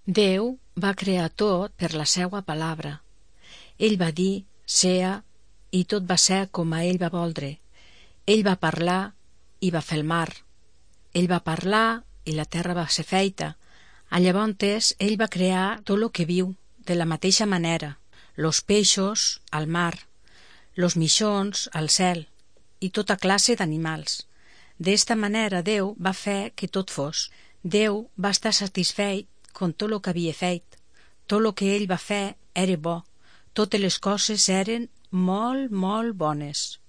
Déu va crear tot per la seua palabra. Ell va dir, sea, i tot va ser com a ell va voldre. Ell va parlar i va fer el mar. Ell va parlar i la terra va ser feita. Llavors ell va crear tot lo que viu, de la mateixa manera, los peixos al mar, los mixons al cel i tota classe d'animals. D'esta manera Déu va fer que tot fos. Déu va estar satisfet con tot lo que havia fet. Tot lo que ell va fer era bo. Totes les coses eren molt, molt bones.